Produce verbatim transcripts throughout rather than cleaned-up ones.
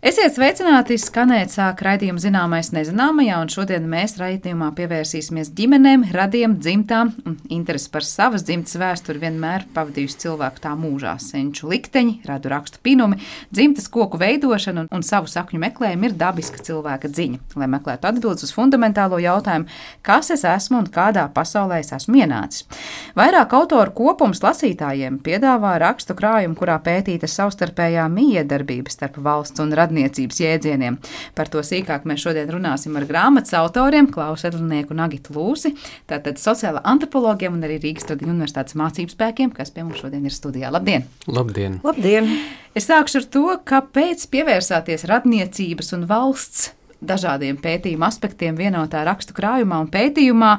Esiet sveicināti, skanēt sāk raidījuma Zināmais nezināmajā, un šodien mēs raidījumā pievērsīsimies ģimenēm, radiem, dzimtām, un interesi par savas dzimtas vēsturi vienmēr pavadījusi cilvēku tā mūžā. Senču likteņi, radu rakstu pinumi, dzimtas koku veidošana un, un savu sakņu meklējumi ir dabiska cilvēka dziņa, lai meklētu atbildes uz fundamentālo jautājumu, kas es esmu un kādā pasaulē es esmu ienācis. Vairāk autoru kopums lasītājiem piedāvā rakstu krājumu, kurā pētīta savstarpējā mijiedarbība starp valsts un radniecības jēdzieniem. Par to sīkāk mēs šodien runāsim ar grāmatas autoriem Klausu Edlinieku un Agitu Lūsi, tātad sociāla antropologiem un arī Rīgas Tradiņu universitātes mācību spēkiem, kas pie mums šodien ir studijā. Labdien! Labdien! Labdien! Es sākšu ar to, kāpēc pievērsāties radniecības un valsts dažādiem pētījuma aspektiem vienotā rakstu krājumā un pētījumā,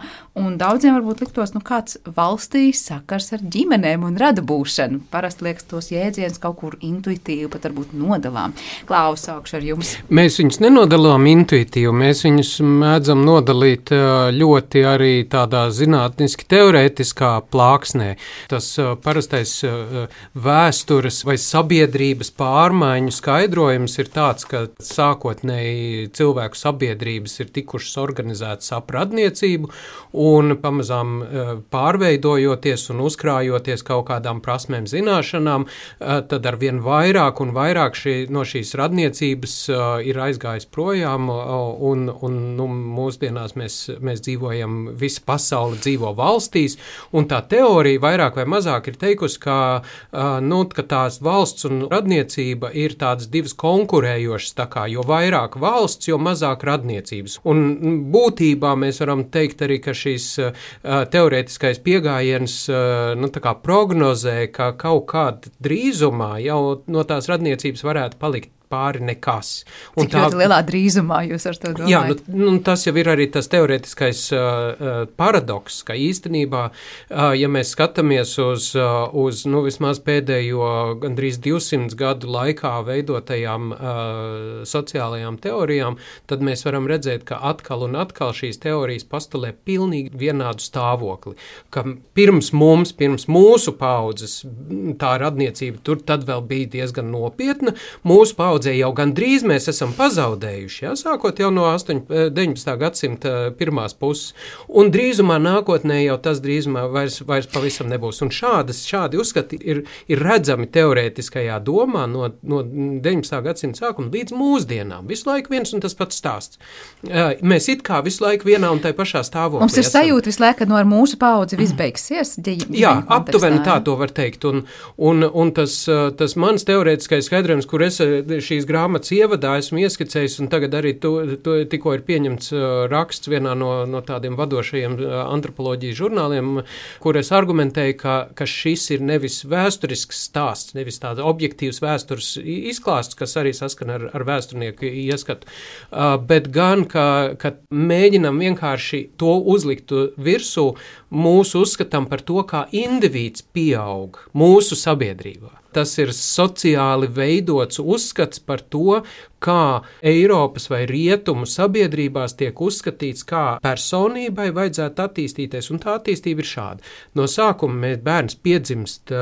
un daudziem varbūt liktos, nu kāds valstī sakars ar ģimenēm un radu būšanu. Parasti liekas tos jēdzienus kaut kur intuitīvi, pat varbūt nodalām. Klaus, sākšu ar jums. Mēs viņus nenodalām intuitīvi, mēs viņus mēdzam nodalīt ļoti arī tādā zinātniski teorētiskā plāksnē. Tas parastais vēstures vai sabiedrības pārmaiņu skaidrojums ir tāds, ka sākotnēji cilvēki cilvēku sabiedrības ir tikušas organizētas ap radniecību un pamazām pārveidojoties un uzkrājoties kaut kādām prasmēm zināšanām, tad arvien vairāk un vairāk šī, no šīs radniecības ir aizgājis projām un, un nu, mūsdienās mēs, mēs dzīvojam, visa pasaule dzīvo valstīs, un tā teorija vairāk vai mazāk ir teikusi, ka, nu, ka tās valsts un radniecība ir tādas divas konkurējošas, tā kā, jo vairāk valsts, jo mazāk radniecības. Un būtībā mēs varam teikt arī, ka šīs uh, teorētiskais piegājiens uh, nu, tā kā prognozē, ka kaut kādā drīzumā jau no tās radniecības varētu palikt pāri nekas. Un Cik tā, ļoti lielā drīzumā jūs ar to domājat? Jā, nu, nu, tas jau ir arī tas teorētiskais uh, paradoks, ka īstenībā, uh, ja mēs skatāmies uz, uh, uz nu, vismaz pēdējo gandrīz divsimt gadu laikā veidotajām uh, sociālajām teorijām, tad mēs varam redzēt, ka atkal un atkal šīs teorijas postulē pilnīgi vienādu stāvokli. Ka pirms mums, pirms mūsu paudzes tā radniecība tur tad vēl bija diezgan nopietna, mūsu paudzes jau gandrīz mēs esam pazaudējuši, ja, sākot jau no deviņpadsmitā gadsimta pirmās puses, un drīzumā nākotnē jau tas drīzumā vairs, vairs pavisam nebūs. Un šādas, šādi uzskati ir, ir redzami teorētiskajā domā no, no deviņpadsmitā gadsimta sākuma līdz mūsdienām. Visu laiku viens un tas pats stāsts. Mēs it kā visu laiku vienā un tai pašā stāvoklī. Mums ir esam. Sajūta visu laiku, ka no ar mūsu paudzi viss beigsies. Jā, aptuveni tā to var teikt. Un, un, un tas, tas mans teorētiskais skaidrojums, kur es šīs grāmatas ievadā esmu ieskicējis, un tagad arī to, to tikko ir pieņemts uh, raksts vienā no, no tādiem vadošajiem uh, antropoloģijas žurnāliem, kur es argumentēju, ka, ka šis ir nevis vēsturisks stāsts, nevis tāds objektīvs vēstures izklāsts, kas arī saskan ar, ar vēsturnieku ieskatu, uh, bet gan, ka, ka mēģinam vienkārši to uzlikt virsū mūsu uzskatam par to, kā indivīds pieaug mūsu sabiedrībā. Tas ir sociāli veidots uzskats par to, kā Eiropas vai Rietumu sabiedrībās tiek uzskatīts, kā personībai vajadzētu attīstīties, un tā attīstība ir šāda. No sākuma mēs bērns piedzimst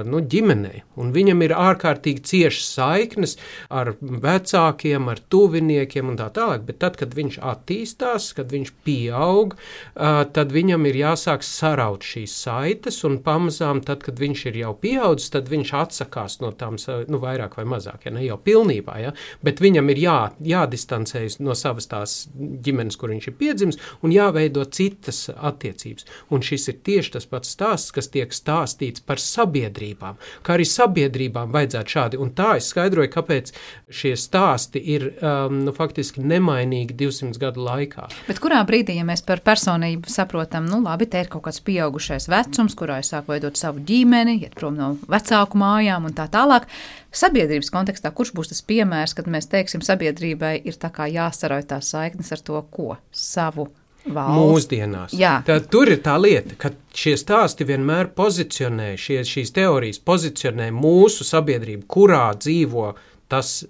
nu, ģimenē, un viņam ir ārkārtīgi ciešas saiknes ar vecākiem, ar tuviniekiem un tā tālāk, bet tad, kad viņš attīstās, kad viņš pieaug, tad viņam ir jāsāk saraut šīs saites, un pamazām tad, kad viņš ir jau pieaudzis, tad viņš atsakās no tām, nu, vairāk vai mazāk, ja ne jau pilnībā, ja, bet viņam ir jā, jādistancējas no savas tās ģimenes, kur viņš ir piedzimis, un jāveido citas attiecības. Un šis ir tieši tas pats stāsts, kas tiek stāstīts par sabiedrībām, kā arī sabiedrībām vajadzētu šādi. Un tā es skaidroju, kāpēc šie stāsti ir um, nu, faktiski nemainīgi divsimt gadu laikā. Bet kurā brīdī, ja mēs par personību saprotam, nu labi, te ir kaut kāds pieaugušais vecums, kurā es sāku veidot savu ģimeni, iet prom no vecāku mājām un tā tālāk, sabiedrības kontekstā, kurš būs tas piemērs, kad mēs teiksim, sabiedrībai ir tā kā jāsarauj tās saiknes ar to, ko? Savu valsts. Mūsdienās. Tad tur ir tā lieta, ka šie stāsti vienmēr pozicionē, šie, šīs teorijas pozicionē mūsu sabiedrību, kurā dzīvo tas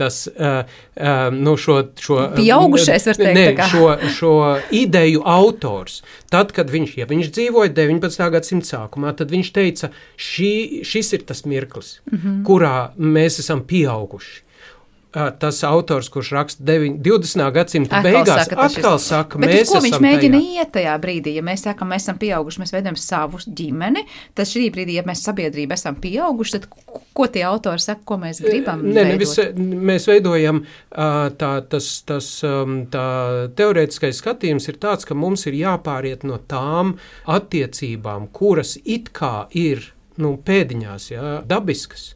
tas, uh, uh, nu šo, šo pieaugušais, var teikt, ne, tā kā. šo, šo ideju autors. Tad, kad viņš, ja viņš dzīvoja deviņpadsmitā gadsimta sākumā, tad viņš teica, šī, šis ir tas mirklis, mm-hmm. kurā mēs esam pieauguši. tas autors, kurš raksta divdesmitā gadsimta atkal beigās, saka, atkal šis... saka, bet mēs uz ko viņš mēģina tajā. iet tajā brīdī? Ja mēs sakam, mēs esam pieauguši, mēs veidojam savu ģimeni, tad šī brīdī, ja mēs sabiedrība esam pieauguši, tad ko tie autori saka, ko mēs gribam ne, veidot? Ne, vis, mēs veidojam, tā, tas, tas, tā teorētiskais skatījums ir tāds, ka mums ir jāpāriet no tām attiecībām, kuras it kā ir, nu, pēdiņās, jā, dabiskas,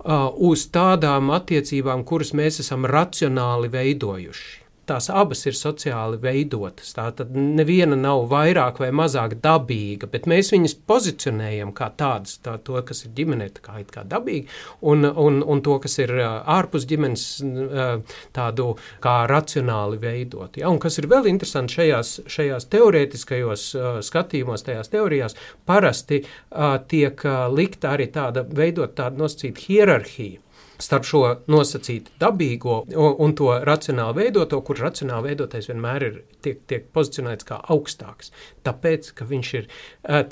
Uh, uz tādām attiecībām, kuras mēs esam racionāli veidojuši. Tās abas ir sociāli veidotas. Tātad neviena nav vairāk vai mazāk dabīga, bet mēs viņas pozicionējam kā tādas, tā, to, kas ir ģimenē, tā kā, kā dabīgi, un, un, un to, kas ir uh, ārpus ģimenes, uh, tādu kā racionāli veidot. Ja? Un kas ir vēl interesanti šajās, šajās teorētiskajos uh, skatījumos, tajās teorijās, parasti uh, tiek uh, likta arī tāda, veidot tādu nosacītu hierarhiju starp šo nosacītu dabīgo un, un to racionāli veidoto, kur racionāli veidotais vienmēr ir tiek, tiek pozicionēts kā augstāks, tāpēc, ka viņš ir,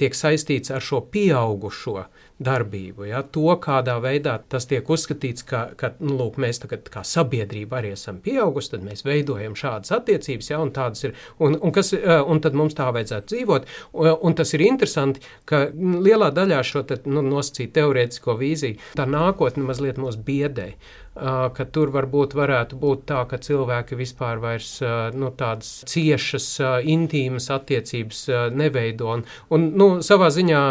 tiek saistīts ar šo pieaugušo darbību, ja, to, kādā veidā tas tiek uzskatīts, ka, ka nu, lūk, mēs tagad kā sabiedrība arī esam pieaugusi, tad mēs veidojam šādas attiecības, ja, un tādas ir, un, un, kas, un tad mums tā vajadzētu dzīvot, un, un tas ir interesanti, ka lielā daļā šo te, nu, nosacīt teorētisko vīziju, tā nākotne mazliet mūs biedē, ka tur varbūt varētu būt tā, ka cilvēki vispār vairs nu, tādas ciešas, intīmas attiecības neveido. Un, un nu, savā ziņā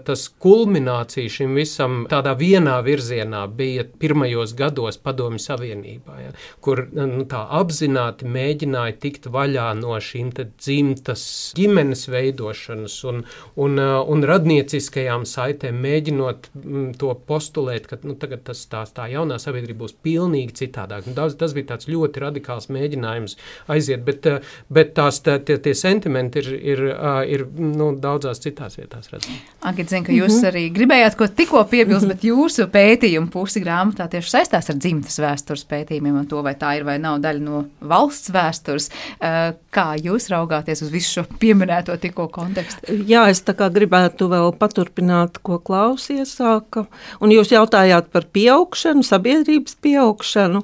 tas kulminācija šim visam tādā vienā virzienā bija pirmajos gados Padomju Savienībā, ja, kur nu, tā apzināti mēģināja tikt vaļā no šīm te dzimtas ģimenes veidošanas un, un, un radnieciskajām saitēm, mēģinot to postulēt, ka nu, tagad tas, tā, tā jaunā sabiedrība būs pilnīgi citādāk. Tas, tas bija tāds ļoti radikāls mēģinājums aiziet, bet, bet tās, tie, tie sentimenti ir, ir, ir nu, daudzās citās vietās redzami. Agita, zinu, ka jūs mm-hmm. arī gribējāt ko tikko piebilst, bet jūsu pētījumu pusi grāmatā tieši saistās ar dzimtas vēstures pētījumiem un to, vai tā ir vai nav daļa no valsts vēstures. Kā jūs raugāties uz visu šo pieminēto tikko kontekstu? Jā, es tā kā gribētu vēl paturpināt, ko Klaus iesāka. Un jūs jautājāt par pieaugšanu, sabiedrības pieaugšanu.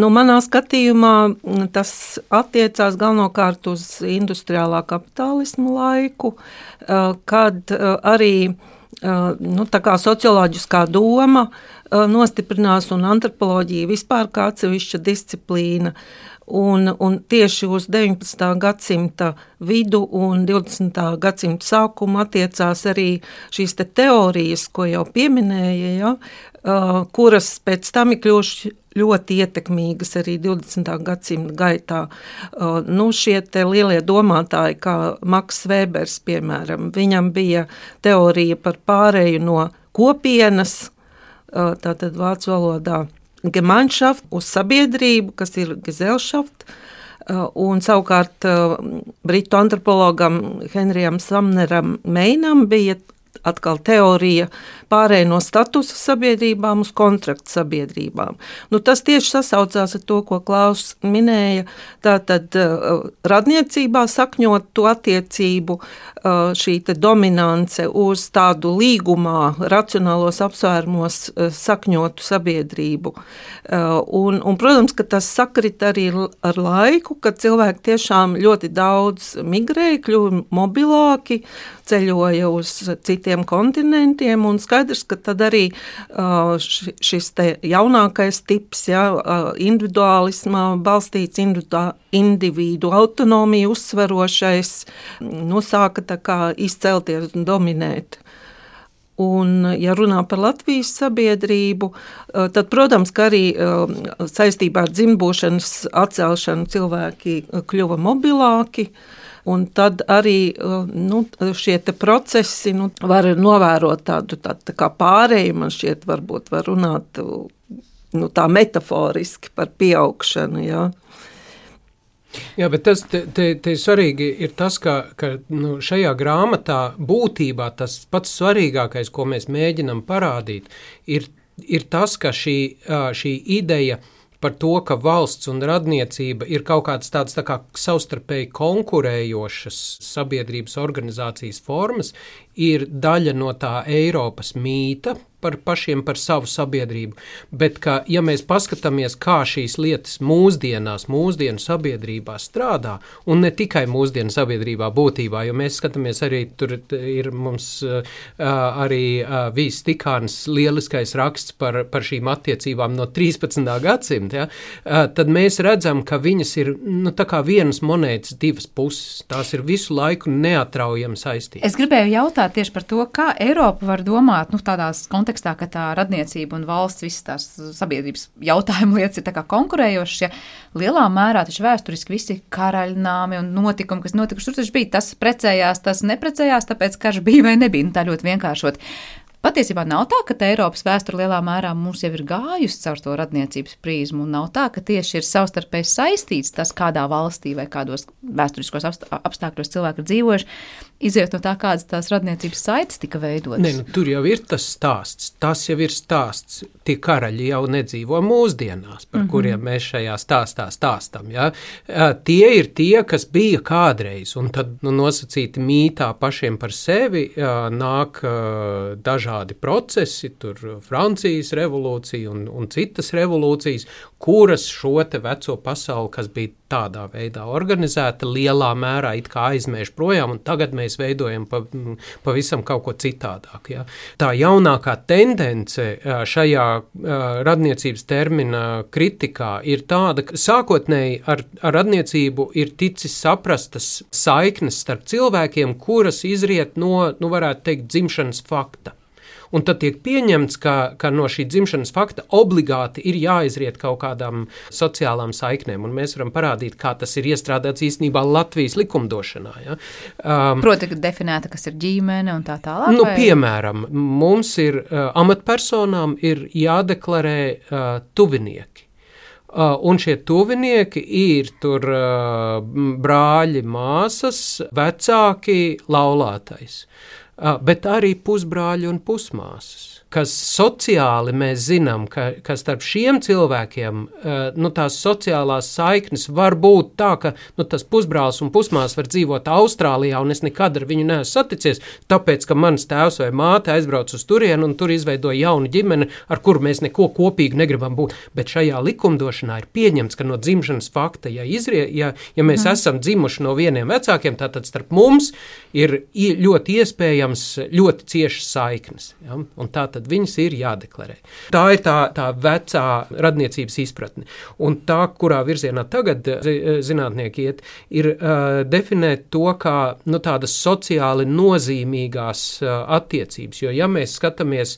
Nu, manā skatījumā tas attiecās galvenokārt uz industriālā kapitālismu laiku, kad arī nu, tā kā socioloģiskā doma nostiprinās un antropoloģija vispār kā atsevišķa disciplīna. Un, un tieši uz deviņpadsmitā gadsimta vidu un divdesmitā gadsimta sākumu attiecās arī šīs te teorijas, ko jau pieminēja, ja, uh, kuras pēc tam ir kļuvušas ļoti ietekmīgas arī divdesmitā gadsimta gaitā. Uh, nu, šie te lielie domātāji, kā Maks Vēbers, piemēram, viņam bija teorija par pārēju no kopienas, uh, tātad vācu valodā, Gemeinschaft uz sabiedrību, kas ir Gesellschaft, un savukārt britu antropologam Henrijam Samneram Meinam bija atkal teorija pārēj no statusa sabiedrībām uz kontraktu sabiedrībām. Nu, tas tieši sasaucās ar to, ko Klaus minēja, tātad uh, radniecībā sakņot to attiecību, uh, šī te dominance uz tādu līgumā, racionālos apsvērumos uh, sakņotu sabiedrību. Uh, un, un, protams, ka tas sakrit arī ar laiku, kad cilvēki tiešām ļoti daudz migrēja, kļuva mobilāki, ceļoja uz citiem kontinentiem, un skaidrs, ka tad arī uh, šis te jaunākais tips, ja, uh, individuālismā balstīts individu, individu autonomiju uzsverošais, nu, sāka tā kā izcelties un dominēt. Un, ja runā par Latvijas sabiedrību, uh, tad, protams, ka arī uh, saistībā ar dzimbūšanas atcelšanu cilvēki kļuva mobilāki, un tad arī nu, šie te procesi nu, var novērot tādu tā, tā kā pārēju, man šķiet varbūt var runāt nu, tā metaforiski par pieaugšanu, jā. Jā, bet tas te, te, te svarīgi ir tas, ka, ka nu, šajā grāmatā būtībā tas pats svarīgākais, ko mēs mēģinam parādīt, ir, ir tas, ka šī, šī ideja par to, ka valsts un radniecība ir kaut kādas tādas tā kā savstarpēji konkurējošas sabiedrības organizācijas formas, ir daļa no tā Eiropas mīta par pašiem par savu sabiedrību, bet ka, ja mēs paskatāmies, kā šīs lietas mūsdienās, mūsdienu sabiedrībā strādā, un ne tikai mūsdienu sabiedrībā būtībā, jo mēs skatāmies arī, tur ir mums uh, arī uh, Vīs Stikāns lieliskais raksts par, par šīm attiecībām no trīspadsmitā gadsimta, ja? uh, tad mēs redzam, ka viņas ir, nu, tā kā vienas monētas divas puses, tās ir visu laiku neatraujami saistītas. Es gribēju jautāt tieši par to, kā Eiropa var domāt, nu, tādās kontekstā, ka tā radniecība un valsts, visas tās sabiedrības jautājumu lietas ir tā kā konkurējošas, ja lielā mērā taču vēsturiski visi karaļnāmi un notikumi, kas notikuši, tur taču bija tas precējās, tas neprecējās, tāpēc karš bija vai nebija, nu tā ļoti vienkāršot. Patiesībā nav tā, ka Eiropas vēsture lielā mērā mums jau ir gājusi caur to radniecības prizmu, un nav tā, ka tieši ir savstarpēji saistīts tas, kādā valstī vai kādos vēsturiskos apstākļos cilvēki ir dzīvojuši, iziet no tā, kādas tās radniecības saites tika veidotas. Ne, nu, tur jau ir tas stāsts, tas jau ir stāsts, tie karaļi jau nedzīvo mūsdienās, par mm-hmm. kuriem mēs šajā stāstā stāstam, ja? Tie ir tie, kas bija kādreiz, un tad, nu, nosacīti mītā pašiem par sevi nāk dažādi procesi, tur Francijas revolūcija un, un citas revolūcijas, kuras šo te veco pasauli, kas bija tādā veidā organizēta, lielā mērā it kā aizmēž projām, un tagad mēs veidojam pa, pavisam kaut ko citādāk. Ja? Tā jaunākā tendence šajā radniecības termina kritikā ir tāda, ka sākotnēji ar, ar radniecību ir ticis saprastas saiknes starp cilvēkiem, kuras izriet no, nu varētu teikt, dzimšanas fakta. Un tad tiek pieņemts, ka, ka no šī dzimšanas fakta obligāti ir jāizriet kaut kādām sociālām saiknēm, un mēs varam parādīt, kā tas ir iestrādāts īstenībā Latvijas likumdošanā. Ja? Um, Proti, ka definēta, kas ir ģimene un tā tālāk? Nu, vai? Piemēram, mums ir uh, amatpersonām ir jādeklarē uh, tuvinieki. Uh, un šie tuvinieki ir tur uh, brāļi, māsas, vecāki, laulātais. Uh, bet arī pusbrāļi un pusmāsas, kas sociāli mēs zinām, ka, ka starp šiem cilvēkiem uh, nu, tās sociālās saiknes var būt tā, ka nu, tas pusbrālis un pusmās var dzīvot Austrālijā, un es nekad ar viņu neesmu saticies, tāpēc, ka mans tēvs vai māte aizbrauc uz turienu un tur izveidoja jaunu ģimeni, ar kuru mēs neko kopīgi negribam būt. Bet šajā likumdošanā ir pieņemts, ka no dzimšanas fakta, ja, izrie, ja, ja mēs mm. esam dzimuši no vieniem vecākiem, tātad starp mums ir ļoti iespējams ļoti ciešas saiknes. Ja? Un tā tad viņas ir jādeklarē. Tā ir tā, tā vecā radniecības izpratne. Un tā, kurā virzienā tagad zinātnieki iet, ir uh, definēt to kā nu, tādas sociāli nozīmīgās uh, attiecības. Jo ja mēs skatāmies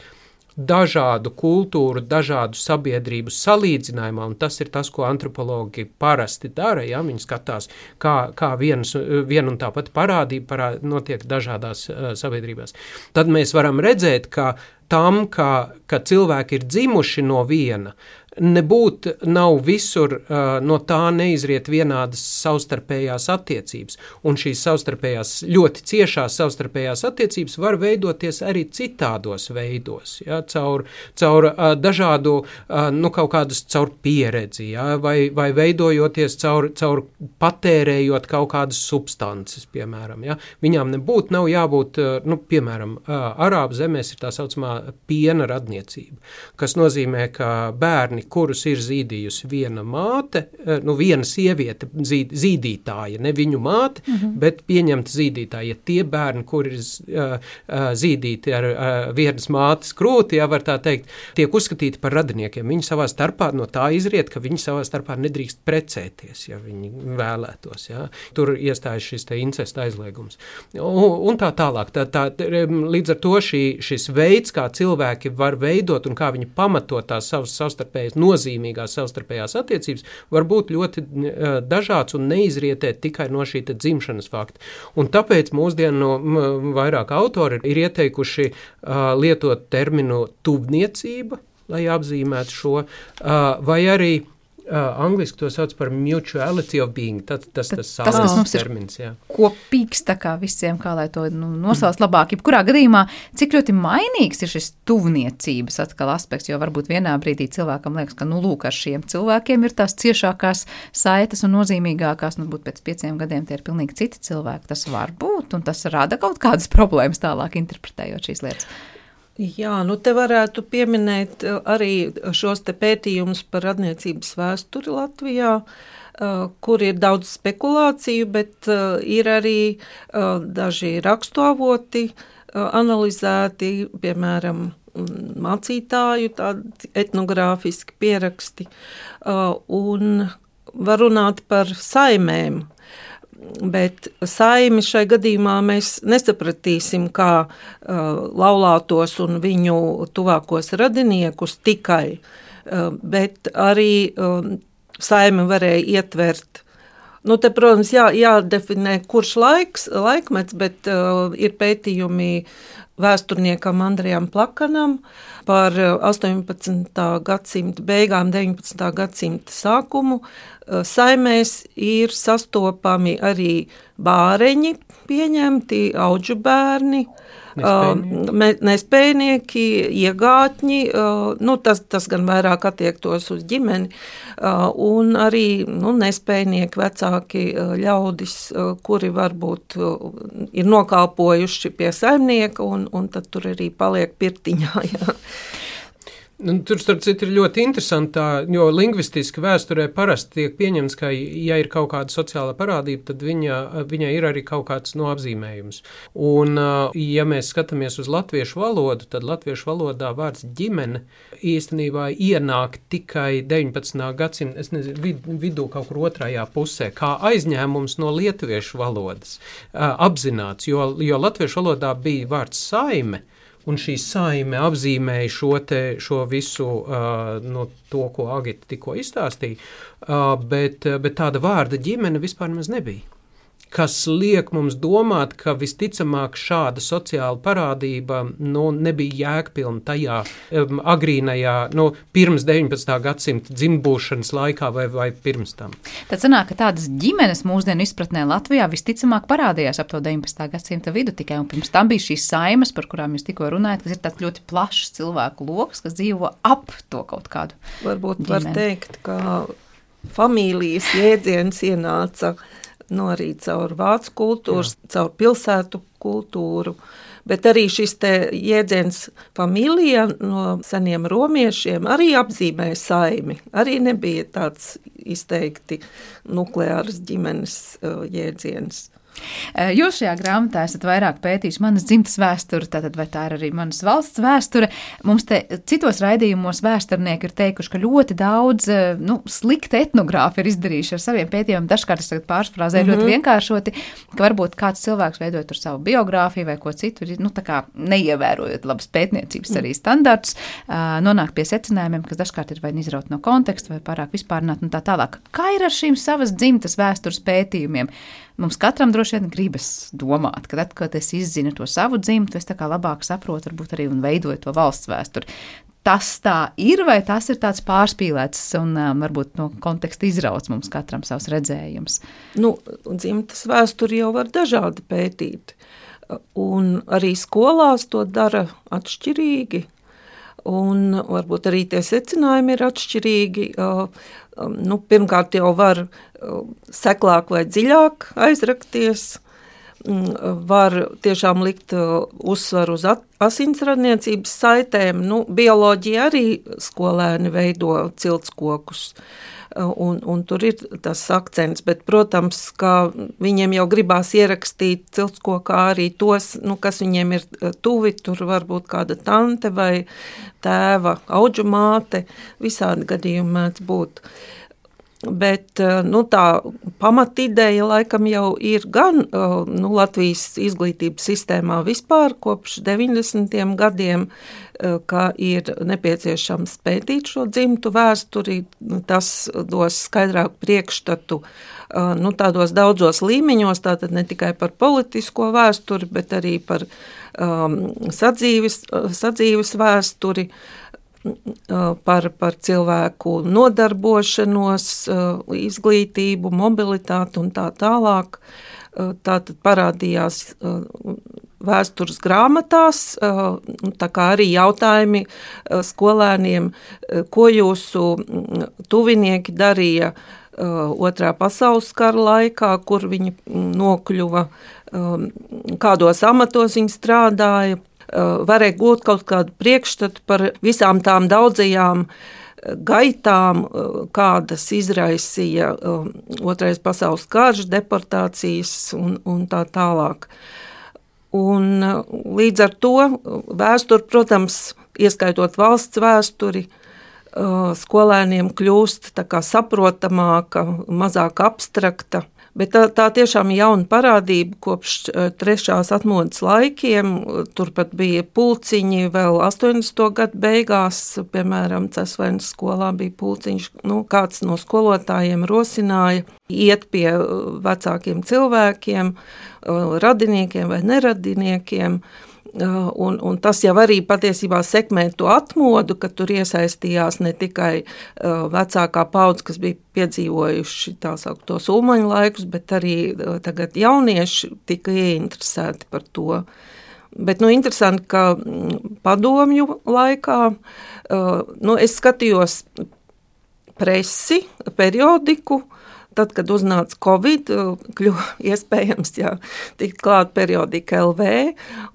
dažādu kultūru, dažādu sabiedrību salīdzinājumā, un tas ir tas, ko antropologi parasti dara, ja viņi skatās, kā, kā viens, vien un tāpat parādība parā, notiek dažādās uh, sabiedrībās. Tad mēs varam redzēt, ka tam, ka, ka cilvēki ir dzimuši no viena, nebūt nav visur, uh, no tā neizriet vienādas savstarpējās attiecības. Un šīs savstarpējās, ļoti ciešās savstarpējās attiecības var veidoties arī citādos veidos, ja, caur, caur uh, dažādu, uh, nu, kaut kādas caur pieredzi, ja, vai, vai veidojoties caur, caur patērējot kaut kādas substances, piemēram, ja. Viņām nebūt, nav jābūt, uh, nu, piemēram, uh, Arābu zemēs ir tā saucamā piena radniecība, kas nozīmē, ka bērni, kurus ir zīdījusi viena māte, nu viena sieviete zīd, zīdītāja, ne viņu māte, mm-hmm. bet pieņemta zīdītāja. Tie bērni, kuri ir uh, uh, zīdīti ar uh, vienas mātes krūti, ja var tā teikt, tiek uzskatīti par radiniekiem. Viņi savā starpā no tā izriet, ka viņi savā starpā nedrīkst precēties, ja viņi vēlētos. Ja. Tur iestājas šis te incesta aizliegums. Un, un tā tālāk. Tā, tā, līdz ar to šī, šis veids, kā cilvēki var veidot un kā viņi pamato tās savas savstarpējas nozīmīgās savstarpējās attiecības, var būt ļoti uh, dažāds un neizrietēt tikai no šī dzimšanas fakta. Un tāpēc mūsdienu no, vairāk autori ir ieteikuši uh, lietot terminu tuvniecība, lai apzīmētu šo, uh, vai arī Uh, angliski to sauc par mutuality of being, tas tas, tas, tas kas mums termins, ir kopīgs, tā kā visiem, kā lai to nu, nosauc labāk. Jebkurā gadījumā, cik ļoti mainīgs ir šis tuvniecības atkal aspekts, jo varbūt vienā brīdī cilvēkam liekas, ka, nu, lūk, ar šiem cilvēkiem ir tās ciešākās saites un nozīmīgākās, nu, būt pēc pieciem gadiem tie ir pilnīgi citi cilvēki. Tas var būt, un tas rada kaut kādas problēmas tālāk interpretējot šīs lietas. Jā, nu te varētu pieminēt arī šos te pētījumus par radniecības vēsturi Latvijā, kur ir daudz spekulāciju, bet ir arī daži rakstuavoti analizēti, piemēram, mācītāju tādi etnogrāfiski pieraksti, un var runāt par saimēm. Bet saimi šai gadījumā mēs nesapratīsim kā uh, laulātos un viņu tuvākos radiniekus tikai, uh, bet arī uh, saimi varēja ietvert. Nu, te, protams, jā, jādefinē, kurš laiks, laikmets, bet uh, ir pētījumi vēsturniekam Andrejam Plakanam par astoņpadsmitā gadsimta beigām, deviņpadsmitā gadsimta sākumu. Saimēs ir sastopami arī bāreņi pieņemti, audžu bērni, nespējnieki, nespējnieki iegātņi, nu, tas, tas gan vairāk attiektos uz ģimeni, un arī nu, nespējnieki vecāki ļaudis, kuri varbūt ir nokalpojuši pie saimnieka, un, un tad tur arī paliek pirtiņā, jā. Nu, tur, starp citu, ir ļoti interesanti, jo lingvistiski vēsturē parasti tiek pieņemts, ka, ja ir kaut kāda sociāla parādība, tad viņa, viņai ir arī kaut kāds no apzīmējums. Un, ja mēs skatāmies uz latviešu valodu, tad latviešu valodā vārds ģimene īstenībā ienāk tikai deviņpadsmitā gadsimta, es nezinu, vid, vidū kaut kur otrajā pusē, kā aizņēmums no lietuviešu valodas apzināts, jo, jo latviešu valodā bija vārds saime, un šī saime apzīmēja šo, te, šo visu, uh, no to, ko Agita tikko izstāstīja, uh, bet, bet tāda vārda ģimene vispār maz nebija. Kas liek mums domāt, ka visticamāk šāda sociāla parādība nu, nebija jēgpilna tajā um, agrīnajā, nu, pirms deviņpadsmitā gadsimta dzimbūšanas laikā vai, vai pirms tam. Tad sanāk, ka tādas ģimenes mūsdienu izpratnē Latvijā visticamāk parādījās ap to deviņpadsmitā gadsimta vidu tikai, un pirms tam bija šīs saimes, par kurām jūs tikko runājat, kas ir tāds ļoti plašs cilvēku loks, kas dzīvo ap to kaut kādu Varbūt ģimeni. Var teikt, ka familijas jēdziens ienāca nu, arī caur vācu kultūru, caur pilsētu kultūru, bet arī šis te jēdziens familija no seniem romiešiem arī apzīmēja saimi. Arī nebija tāds izteikti nukleāras ģimenes uh, jēdziens. Jūs šajā grāmatā esat vairāk pētījuši manas dzimtas vēsturi, tātad vai tā ir arī manas valsts vēsture. Mums te citos raidījumos vēsturnieki ir teikuši, ka ļoti daudz nu, slikta etnogrāfi ir izdarījuši ar saviem pētījumiem. Dažkārt es tagad pārsfrāzēju mm-hmm. ļoti vienkāršoti, ka varbūt kāds cilvēks veidojot tur savu biogrāfiju vai ko citu, nu tā kā neievērojot labas pētniecības arī standartus, nonāk pie secinājumiem, kas dažkārt ir vai izraut no konteksta vai pārāk vispārināt un tā tālāk. Kā ir ar šīm savas dzimtas vēstures pētījumiem? Mums katram droši vien gribas domāt, ka tad, kad es izzinu to savu dzimtu, es tā kā labāk saprotu, varbūt arī un veidoju to valsts vēsturi. Tas tā ir, vai tas ir tāds pārspīlēts un um, varbūt no konteksta izrauts mums katram savs redzējums? Nu, dzimtas vēsturi jau var dažādi pētīt, un arī skolās to dara atšķirīgi. Un varbūt arī tie secinājumi ir atšķirīgi. Nu, pirmkārt jau var seklāk vai dziļāk aizrakties, var tiešām likt uzsvaru uz asinsradniecības saitēm. Nu, bioloģija arī skolēni veido ciltskokus. Un, un tur ir tas akcents, bet, protams, ka viņiem jau gribās ierakstīt ciltskokā arī tos, nu, kas viņiem ir tuvi, tur varbūt kāda tante vai tēva audžu māte, visādi gadījumi mēdz būt. Bet nu, tā pamatideja laikam jau ir gan nu, Latvijas izglītības sistēmā vispār kopš deviņdesmitiem gadiem, ka ir nepieciešams pētīt šo dzimtu vēsturi, tas dos skaidrāku priekšstatu nu, tādos daudzos līmeņos, tātad ne tikai par politisko vēsturi, bet arī par um, sadzīves, sadzīves vēsturi. par, par cilvēku nodarbošanos, izglītību, mobilitāti un tā tālāk. Tātad parādījās vēstures grāmatās, tā kā arī jautājumi skolēniem, ko jūsu tuvinieki darīja Otrā pasaules kara laikā, kur viņi nokļuva, kādos amatos viņi strādāja, varēja gūt kaut kādu priekšstatu par visām tām daudzajām gaitām, kādas izraisīja Otrais pasaules karš, deportācijas un, un tā tālāk. Un līdz ar to vēsture, protams, ieskaitot valsts vēsturi, skolēniem kļūst tā kā saprotamāka, mazāk abstrakta. Bet tā, tā tiešām ir jauna parādība kopš trešās atmodas laikiem. Turpat bija pulciņi vēl astoņdesmito gadu beigās, piemēram, Cesvaines skolā bija pulciņš. Nu, kāds no skolotājiem rosināja iet pie vecākiem cilvēkiem, radiniekiem vai neradiniekiem. Un, un tas jau arī patiesībā sekmē to atmodu, ka tur iesaistījās ne tikai uh, vecākā paudze, kas bija piedzīvojuši tā sauktos ulmaņu laikus, bet arī uh, tagad jaunieši tika ieinteresēti par to. Bet nu, interesanti, ka padomju laikā uh, nu, es skatījos presi, periodiku. Tad, kad uznāca Covid, kļuva iespējams jā, tikt klāt periodika L V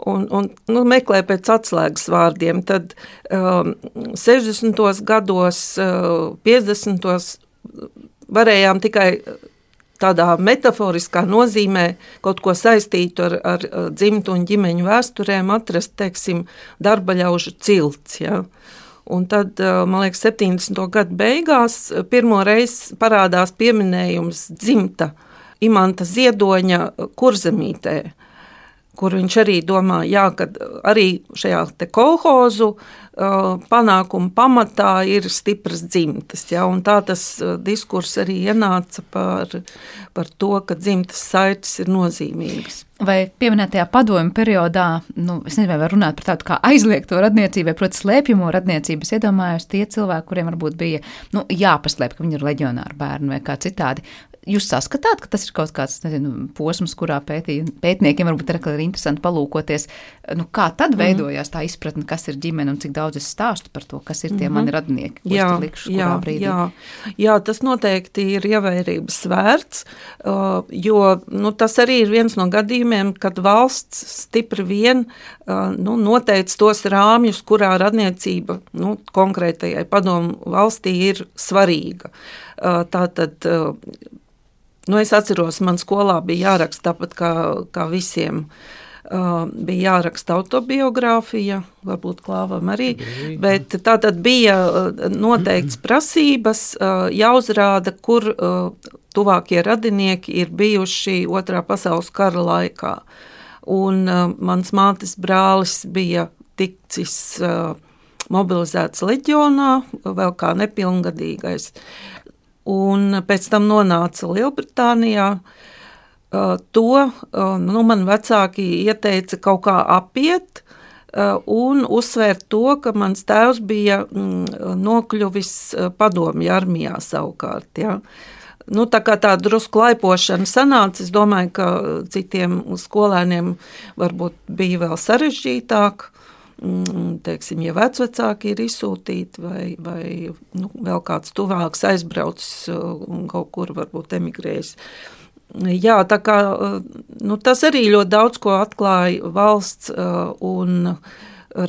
un, un nu, meklē pēc atslēgas vārdiem. Tad um, sešdesmitos gados, uh, piecdesmitos varējām tikai tādā metaforiskā nozīmē kaut ko saistītu ar, ar dzimtu un ģimeņu vēsturēm atrast, teiksim, darbaļaužu cilts, jā. Un tad, man liekas, septiņdesmito gadu beigās pirmo reizi parādās pieminējums dzimta Imanta Ziedoņa Kurzemītē, kur viņš arī domā, jā, ka arī šajā te kolhozu panākumu pamatā ir stipras dzimtas. Jā, un tā tas diskurs arī ienāca par, par to, ka dzimtas saites ir nozīmīgas. Vai pieminētajā padomju periodā, nu, es nezinu, vai var runāt par tādu kā aizliegto radniecību, vai, proti, slēpjamo radniecību, es iedomājos tie cilvēki, kuriem varbūt bija, nu, jāpaslēp, ka viņi ir leģionāri bērni vai kā citādi. Jūs saskatāt, ka tas ir kaut kāds, nezinu, posms, kurā pētī, pētniekiem varbūt ir interesanti palūkoties, nu, kā tad veidojās tā izpratne, kas ir ģimene un cik daudz es stāstu par to, kas ir tie mm-hmm. mani radnieki, ko jā, es te likšu, kurā jā, brīdī. Jā, jā, tas noteikti ir ievērības vērts, jo nu, tas arī ir viens no gadījumiem, kad valsts stipri vien nu, noteica tos rāmjus, kurā radniecība nu, konkrētajai padomu valstī ir svarīga. Tātad Nu, es atceros, man skolā bija jāraksta tāpat kā, kā visiem. Uh, bija jāraksta autobiogrāfija, varbūt Klāvam arī, bet tā tad bija noteikts prasības, uh, jāuzrāda, kur uh, tuvākie radinieki ir bijuši Otrā pasaules kara laikā. Un uh, mans mātes brālis bija ticis uh, mobilizēts leģionā, vēl kā nepilngadīgais. Un pēc tam nonāca Lielbritānijā. To nu, man vecāki ieteica kaut kā apiet un uzsvērt to, ka mans tēvs bija nokļuvis padomju armijā savukārt. Ja. Nu, tā kā tā drusku laipošana sanāca, es domāju, ka citiem skolēniem varbūt bija vēl sarežģītāk. Teiksim, ja vecvecāki ir izsūtīti vai, vai nu, vēl kāds tuvāks aizbraucis un kaut kur varbūt emigrējis. Jā, tā kā nu, tas arī ļoti daudz ko atklāja valsts un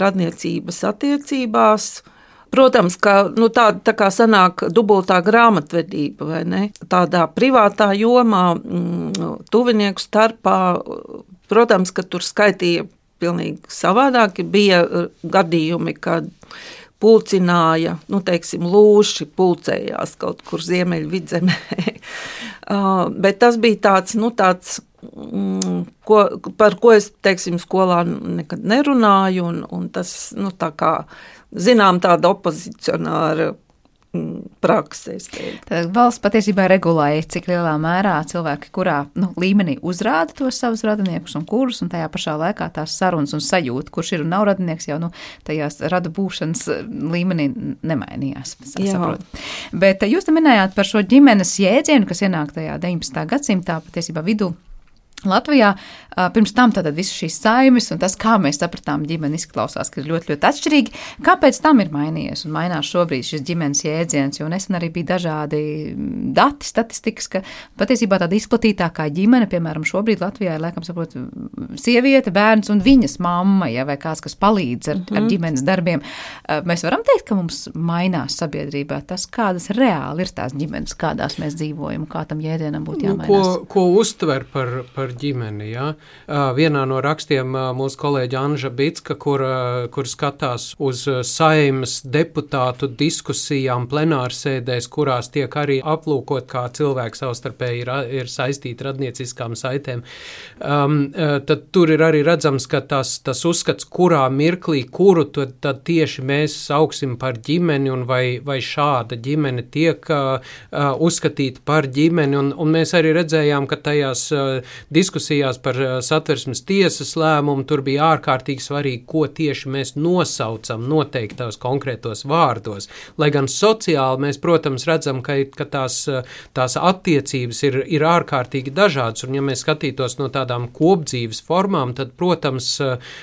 radniecības attiecībās. Protams, ka nu, tā, tā kā sanāk dubultā grāmatvedība, vai ne? Tādā privātā jomā, tuvinieku starpā, protams, ka tur skaitīja pilnīgi savādāk. Bija gadījumi, kad pulcināja, nu, teiksim, lūši pulcējās kaut kur Ziemeļvidzemē. Bet tas bija tāds, nu, tāds, ko, par ko es, teiksim, skolā nekad nerunāju, un, un tas, nu, tā kā, zinām, tāda opozicionāra prakses. Tad valsts patiesībā regulēja, cik lielā mērā cilvēki, kurā nu, līmenī uzrāda tos savus radiniekus un kurus, un tajā pašā laikā tās sarunas un sajūta, kurš ir un nav radinieks, jau nu, tajās radu būšanas līmenī nemainījās. Bet jūs te minējāt par šo ģimenes jēdzienu, kas ienāk tajā deviņpadsmitā gadsimtā, patiesībā vidū Latvijā. Pirms tam tātad visas šīs saimes un tas, kā mēs sapratām ģimeni, izklausās, ka ir ļoti, ļoti atšķirīgi. Kāpēc tam ir mainījies un mainās šobrīd šis ģimenes jēdziens? Jo nesen arī bija dažādi dati, statistikas, ka patiesībā tāda izplatītākā ģimene, piemēram, šobrīd Latvijā ir, laikam, saprot, sieviete, bērns un viņas mamma, ja, vai kāds, kas palīdz ar, mm-hmm. ar ģimenes darbiem. Mēs varam teikt, ka mums mainās sabiedrībā tas, kādas reāli ir tās ģimenes, kādās mēs dzīvojam, kā tam jēdzienam būtu jāmainās. Ko, ko uztver par, par ģimeni, jā. Vienā no rakstiem mūsu kolēģa Anža Bicka, kur, kur skatās uz Saeimas deputātu diskusijām plenārsēdēs, kurās tiek arī aplūkot, kā cilvēki savstarpēji ir, ir saistīti radnieciskām saitēm, um, tad tur ir arī redzams, ka tas, tas uzskats, kurā mirklī, kuru tad, tad tieši mēs sauksim par ģimeni un vai, vai šāda ģimene tiek uh, uzskatīta par ģimeni, un, un mēs arī redzējām, ka tajās uh, diskusijās par Satversmes tiesas lēmumu tur bija ārkārtīgi svarīgi, ko tieši mēs nosaucam noteiktos konkrētos vārdos. Lai gan sociāli mēs, protams, redzam, ka, ka tās, tās attiecības ir, ir ārkārtīgi dažādas, un ja mēs skatītos no tādām kopdzīves formām, tad, protams,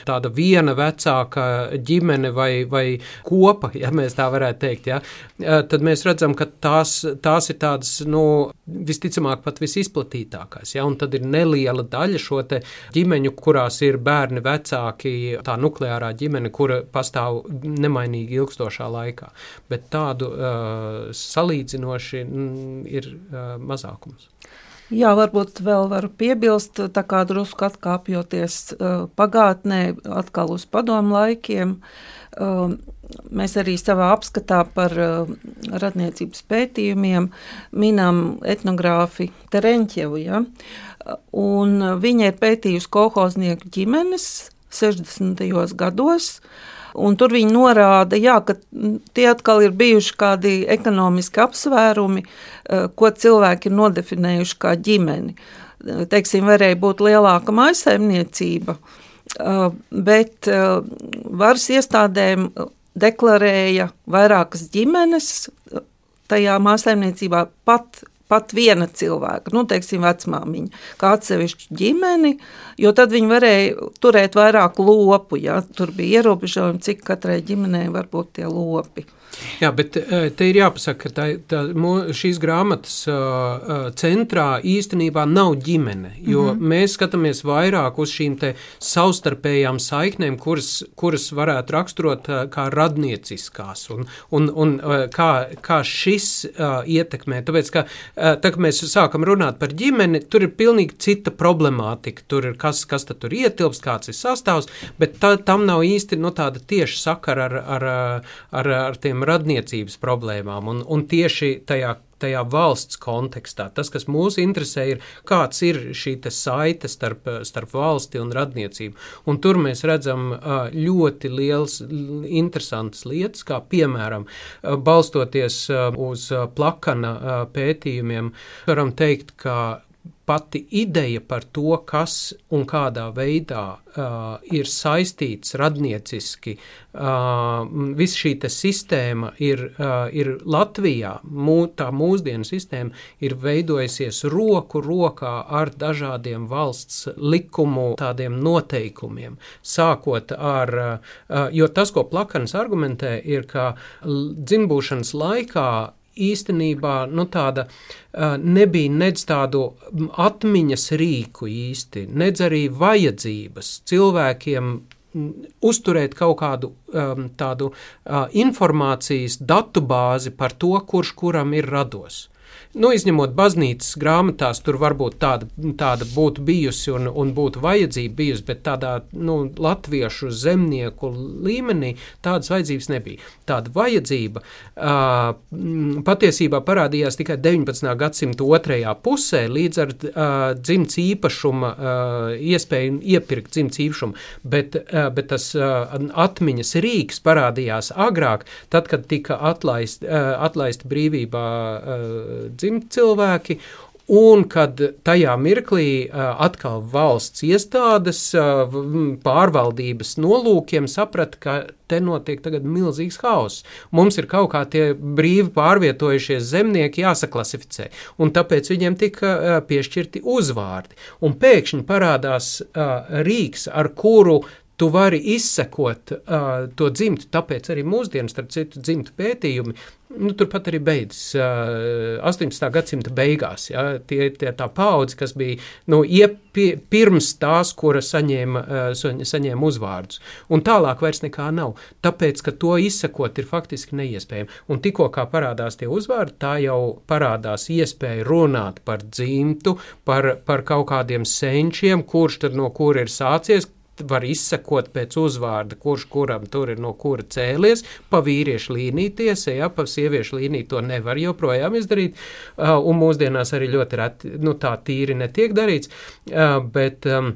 tāda viena vecāka ģimene vai, vai kopa, ja mēs tā varētu teikt, ja, tad mēs redzam, ka tās, tās ir tādas, nu, visticamāk pat visizplatītākās, ja, un tad ir neliela daļa šo te ģimeņu, kurās ir bērni vecāki, tā nukleārā ģimene, kura pastāv nemainīgi ilgstošā laikā. Bet tādu uh, salīdzinoši mm, ir uh, mazākums. Jā, varbūt vēl varu piebilst, tā kā drusku atkāpjoties uh, pagātnē, atkal uz padomu laikiem. Uh, mēs arī savā apskatā par uh, radniecības pētījumiem minam etnogrāfi Tereņķevu, ja? Un viņa ir pētījusi kolhoznieku ģimenes sešdesmitajos gados, un tur viņa norāda, jā, ka tie atkal ir bijuši kādi ekonomiski apsvērumi, ko cilvēki ir nodefinējuši kā ģimeni. Teiksim, varēja būt lielāka mājsaimniecība, bet varas iestādēm deklarēja vairākas ģimenes tajā mājsaimniecībā pat pat viena cilvēka, nu, teiksim, vecmāmiņa, kā atsevišķu ģimeni, jo tad viņi varēja turēt vairāk lopu, ja, tur bija ierobežojumi, cik katrai ģimenei var būt tie lopi. Jā, bet te ir jāpasaka, ka tā, tā, šīs grāmatas uh, centrā īstenībā nav ģimene, jo mm-hmm. mēs skatāmies vairāk uz šīm te savstarpējām saiknēm, kuras, kuras varētu raksturot uh, kā radnieciskās, un, un, un uh, kā, kā šis uh, ietekmē. Tāpēc, ka uh, tā, kad mēs sākam runāt par ģimeni, tur ir pilnīgi cita problemātika, tur ir kas, kas tad tur ietilpst, kāds ir sastāvs, bet tā, tam nav īsti no tāda tieši sakara ar, ar, ar, ar tiem radniecības problēmām, un, un tieši tajā, tajā valsts kontekstā. Tas, kas mūs interesē, ir, kāds ir šī te saite starp, starp valsti un radniecību. Un tur mēs redzam ļoti liels, interesantas lietas, kā piemēram, balstoties uz Plakana pētījumiem, varam teikt, ka pati ideja par to, kas un kādā veidā uh, ir saistīts radnieciski, uh, viss šī te sistēma ir, uh, ir Latvijā, mū, tā mūsdienu sistēma ir veidojusies roku rokā ar dažādiem valsts likumu tādiem noteikumiem, sākot ar, uh, jo tas, ko Plakans argumentē, ir, ka dzimbūšanas laikā īstenībā, nu tāda uh, nebija nedz tādu atmiņas rīku īsti, nedz arī vajadzības cilvēkiem uzturēt kaut kādu um, tādu uh, informācijas datubāzi par to, kurš kuram ir rados. Nu, izņemot baznīcas grāmatās, tur varbūt tāda, tāda būtu bijusi un, un būtu vajadzība bijusi, bet tādā nu, latviešu zemnieku līmenī tādas vajadzības nebija. Tāda vajadzība uh, patiesībā parādījās tikai deviņpadsmitā gadsimta otrajā pusē, līdz ar uh, dzimts īpašuma uh, iespēju iepirkt dzimts īpašumu, bet, uh, bet tas uh, atmiņas rīks parādījās agrāk, tad, kad tika atlaist, uh, atlaist brīvībā uh, dzimt cilvēki, un kad tajā mirklī uh, atkal valsts iestādes uh, pārvaldības nolūkiem saprata, ka te notiek tagad milzīgs hauss. Mums ir kaut kā tie brīvi pārvietojušies zemnieki jāsaklasificē, un tāpēc viņiem tika uh, piešķirti uzvārdi. Un pēkšņi parādās uh, rīks, ar kuru tu vari izsekot uh, to dzimtu, tāpēc arī mūsdienas, starp citu, dzimtu pētījumi, nu, turpat arī beidzas uh, astoņpadsmitā gadsimta beigās. Ja, tie, tie tā paudze, kas bija nu, iepi, pirms tās, kura saņēma, uh, saņēma uzvārdus. Un tālāk vairs nekā nav, tāpēc, ka to izsekot ir faktiski neiespējami. Un tikko kā parādās tie uzvārdi, tā jau parādās iespēja runāt par dzimtu, par, par kaut kādiem senčiem, kurš tad no kura ir sācies, var izsekot pēc uzvārda, kurš kuram tur ir no kura cēlies, pa vīriešu līniju tiesa, ja, pa sieviešu līniju to nevar joprojām izdarīt, uh, un mūsdienās arī ļoti reti, nu tā tīri netiek darīts, uh, bet... Um,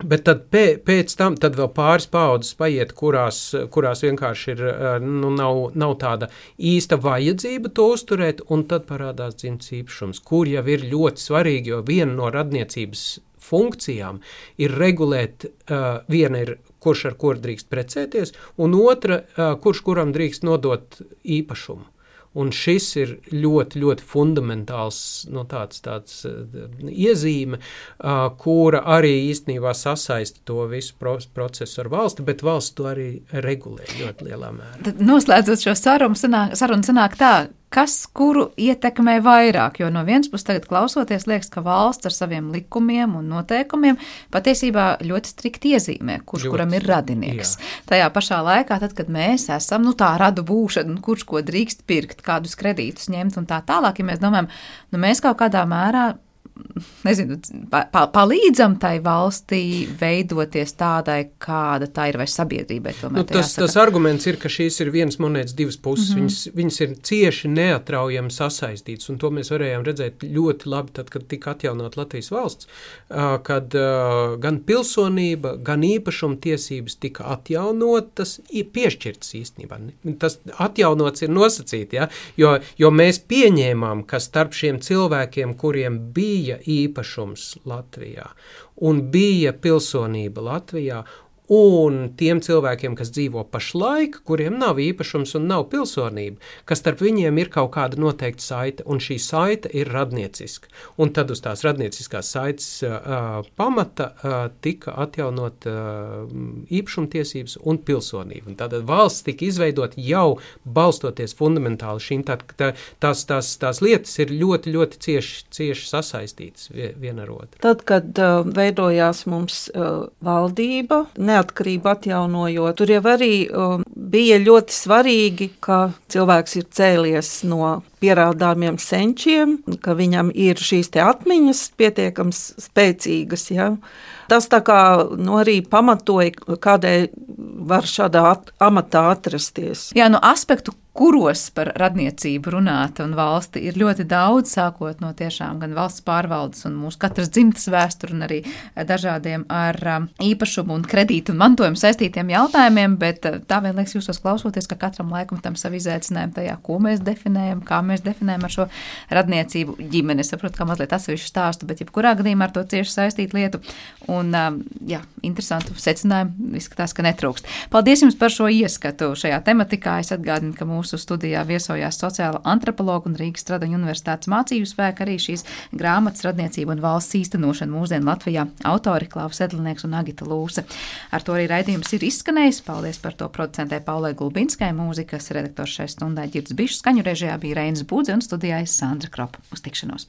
Bet tad pē, pēc tam tad vēl pāris paudzes paiet, kurās, kurās vienkārši ir, nu, nav, nav tāda īsta vajadzība to uzturēt, un tad parādās dzimts īpašums, kur jau ir ļoti svarīgi, jo viena no radniecības funkcijām ir regulēt, uh, viena ir, kurš ar kuru drīkst precēties, un otra, uh, kurš kuram drīkst nodot īpašumu. Un šis ir ļoti, ļoti fundamentāls nu, tāds, tāds uh, iezīme, uh, kura arī īstenībā sasaista to visu pro- procesu ar valsti, bet valsts to arī regulē ļoti lielā mērā. Tad noslēdzot šo sarunu, sanāk, sarunu sanāk tā, kas kuru ietekmē vairāk, jo no vienas puses tagad klausoties liekas, ka valsts ar saviem likumiem un noteikumiem patiesībā ļoti strikti iezīmē, kurš ļoti, kuram ir radinieks. Jā. Tajā pašā laikā, tad, kad mēs esam, nu tā radu būšana, kurš ko drīkst pirkt, kādus kredītus ņemt un tā tālāk, ja mēs domājam, nu mēs kaut kādā mērā nezinu, pa, palīdzam tai valstī veidoties tādai, kāda tā ir, vai sabiedrībai tomēr. Nu, tas, tas arguments ir, ka šīs ir vienas monētas divas puses. Mm-hmm. Viņas, viņas ir cieši neatraujami sasaistītas, un to mēs varējām redzēt ļoti labi tad, kad tika atjaunot Latvijas valsts, kad gan pilsonība, gan īpašuma tiesības tika atjaunotas, piešķirtas īstenībā. Tas atjaunots ir nosacīti, ja? jo, jo mēs pieņēmām, ka starp šiem cilvēkiem, kuriem bija īpašums Latvijā un bija pilsonība Latvijā, un tiem cilvēkiem, kas dzīvo pašlaik, kuriem nav īpašums un nav pilsonība, ka starp viņiem ir kaut kāda noteikta saite, un šī saite ir radnieciska. Un tad uz tās radnieciskās saites uh, pamata uh, tika atjaunot uh, īpašumtiesības un pilsonība. Un tātad valsts tika izveidot jau balstoties fundamentāli šīm, tā, tā, tās, tās, tās lietas ir ļoti, ļoti cieši, cieši sasaistītas viena ar otru. Tad, kad uh, veidojās mums uh, valdība, ne neatkarību atjaunojot. Tur jau arī um, bija ļoti svarīgi, ka cilvēks ir cēlies no pierādāmiem senčiem, ka viņam ir šīs te atmiņas pietiekams spēcīgas. Ja? Tas tā kā nu, arī pamatoja, kādēļ var šādā at- amatā atrasties. Jā, no aspektu, kuros par radniecību runāt un valsti ir ļoti daudz, sākot no tiešām gan valsts pārvaldes un mūsu katras dzimtas vēsturi un arī dažādiem ar īpašumu un kredītu un mantojumu saistītiem jautājumiem, bet tā vien liekas jūsos klausoties, ka katram laikam tam savu izaicinājumu tajā, ko mēs definējam, kā mēs definējam ar šo radniecību ģimeni. Es saprotu, kā mazliet atsevišķu stāstu, bet jebkurā gadījumā ar to cieši saistīt lietu un, jā, interesantu secinājumu izskatās, ka netrūkst. Paldies jums par šo ieskatu šajā tematikā. Es atgādinu, ka mūsu studijā viesojās sociāla antropologa un Rīgas Stradiņu universitātes mācību spēka arī šīs grāmatas radniecība un valsts īstenošana mūsdienu Latvijā autori Klaus Edlinieks un Agita Lūse. Ar to arī raidījums ir izskanējis. Paldies par to producentē Paulai Gulbinskai, mūzikas redaktors šai stundai Ģirds Bišs, skaņu režijā bija Reinis Budze un studijā Sandra Kropa. Uz tikšanos!